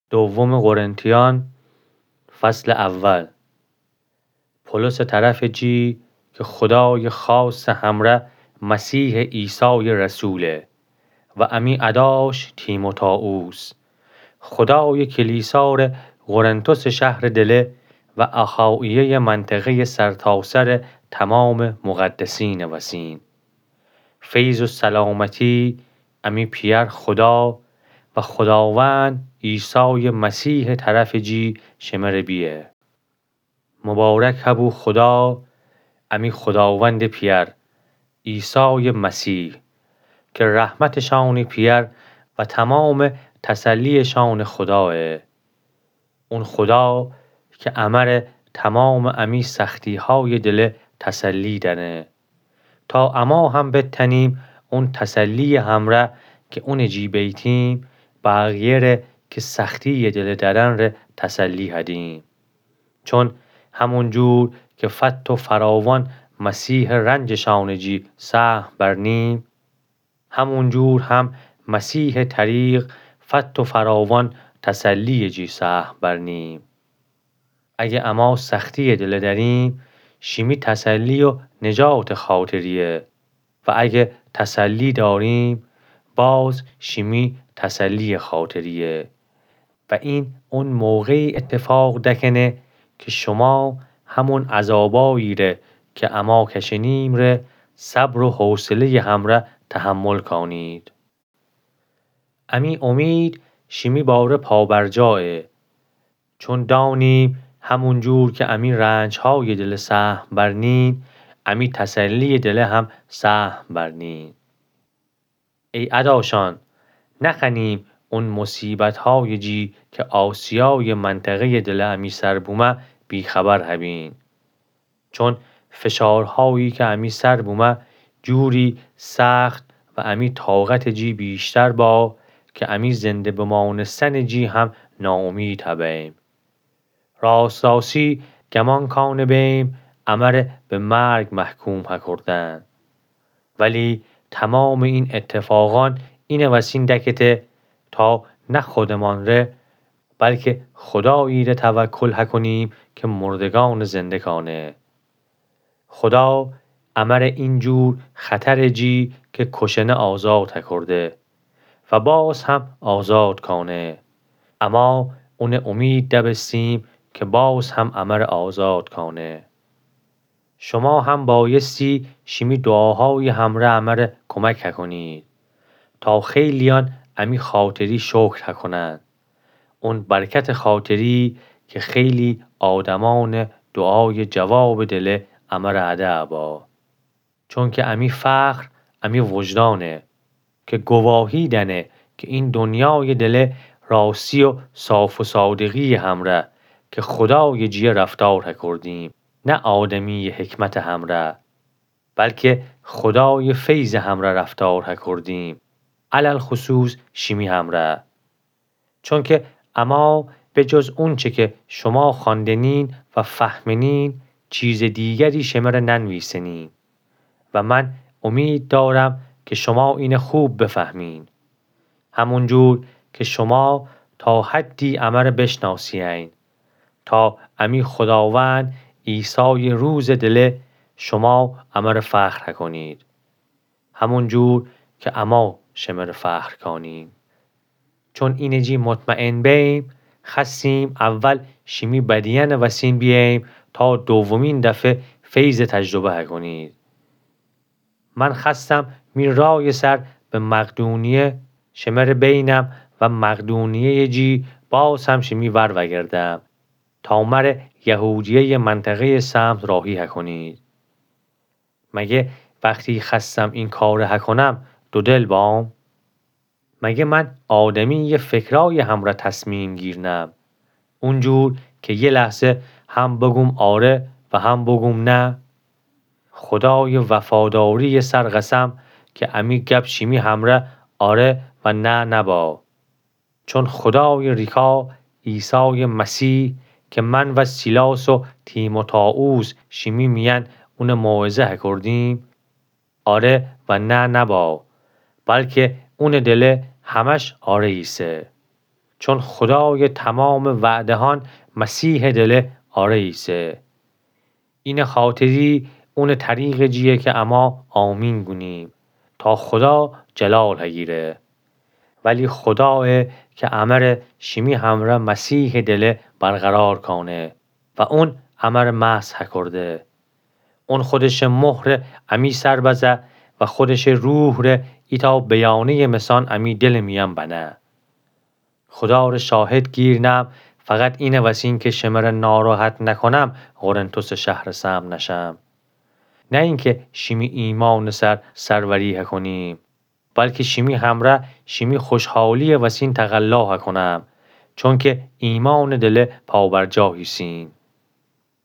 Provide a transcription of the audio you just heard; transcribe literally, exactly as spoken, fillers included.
دوم قرنتیان، فصل اول. پولس طرف جی که خدای خاص همره مسیح عیسای رسوله و امی اداش تیموتائوس، خدای کلیسا ره قرنتس شهر دله و اخائیه منطقه سرتاسر تمام مقدسین وسین. فیض و سلامتی امی پی‌ار خدا و خداوند عیسای مسیح طرف جی شمره بیه. مبارک هبو خدا، امی خداوند پی‌ار، عیسای مسیح، که رحمت شان پی‌ار و تمام تسلی شان خداه. اون خدا که امره تمام امی سختی‌های دله تسلی دنه، تا اما هم بتنیم اون تسلی همره که اون جی بیتیم، بقیه ره که سختی دله درن ره تسلی هدیم. چون همون جور که فت و فراوان مسیح رنج شان جی سهم برنیم، همون جور هم مسیح طریق فت و فراوان تسلی جی سهم برنیم. اگه اما سختی دله دریم، شیمی تسلی و نجات خاطریه، و اگه تسلی داریم، باز شیمی تسلی خاطریه. و این اون موقعی اتفاق دکنه که شما همون عذابایی ره که اما کشنیم ره صبر و حوصلهٔ همره تحمل کانید. امی امید شیمی باره پابرجایه، چون دانیم همون جور که امی رنج‌های دله سهم برنین، امی تسلی دله هم سهم برنین. ای اداشان، نخوأنیم اون مصیبت‌های جی که آسیای منطقهٔ دله امی سر بومه بی‌خبر هبین. چون فشارهایی که امی سر بومه جوری سخت و امی طاقت جی بیشتر با که امی زنده بمانستن جی هم ناامید هبیم. راست‌راستی گمان کانه بیم امره به مرگ محکوم هکردن. ولی تمام این اتفاقان اینه وسین دکته تا نه خودمان ره، بلکه خدایی ره توکل هکنیم که مردگان زنده کانه. خدا امره این جور خطر جی که کشنه آزاد هکرده و باز هم آزاد کانه. اما اونه امید دبستیم که باز هم امره آزاد کانه. شما هم بایستی شیمی دعاهای همره امره کمک هکنید تا خیلیان امی خاطری شکر هکنند. اون برکت خاطری که خیلی آدمان دعای جواب دله امره اده با. چونکه امی فخر امی وجدانه که گواهی دنه که این دنیای دله راستی و صاف و صادقی همره که خدای جیه رفتار هکردیم، نه آدمی حکمت همره، بلکه خدای فیض همره رفتار هکردیم، علی‌الخصوص شیمی همره. چونکه اما به جز اونچه که شما خواندنین و فهمنین، چیز دیگری شمره ننویسنیم و من امید دارم که شما اینه خوب بفهمین، همون جور که شما تا حدی امره بشناسیین، تا امی خداوند عیسای روز دله شما امره فخر هکنید، همون جور که اما شمره فخر کانیم. چون اینه جی مطمئن بیم، خأستیم اول شیمی بدیأن وسین بییم تا دومین دفعه فیض تجربه هکنید. من خأستم می رای سر به مقدونیه شمره بینم و مقدونیه جی باز هم شیمی ور وگردم تا مره یهودیه منطقه سمت راهی هکنید. مگه وقتی خأستم این کاره هکنم دودل بام؟ مگه من آدمی فکرای همره تصمیم گیرنم، اونجور که یه لحظه هم بگوم آره و هم بگوم نه؟ خدای وفاداری سر قسم که امی گپ شیمی همره آره و نه نبا. چون خدای ریکا عیسای مسیح که من و سیلاس و تیموتائوس شیمی میأن اونه موعظه هکردیم، آره و نه نبا، بلکه اونه دله همش آره ایسه. چون خودایٚ تومامٚ وعدهأن مسیحٚ دله آره ایسه. اینه خاطری اونٚ طریقٚ جیه کی امأ آمین گونیم تا خودا جلال هگیره. ولی خودایه کی امره شیمی همره مسیحٚ دله برقرار کأنه و اون امره مسح هکرده. اون خودشٚ مهره امی سر بزه و خودشٚ روحٚ ره ایتأ بیانهیٚ مسأن امی دلٚ میأن بنه. خودا ره شاهد گیر نم، فقط اینه وسین کی شمره ناراحت نکونم قرنتسٚ شهره سمع نشم. نه اینکی شیمی ایمأنٚ سر سروری هکونیم، بلکی شیمی همره شیمی خوشحالییٚ وسین تقلا هکونم، چونکی ایمأنٚ دله پابرجا هیسین.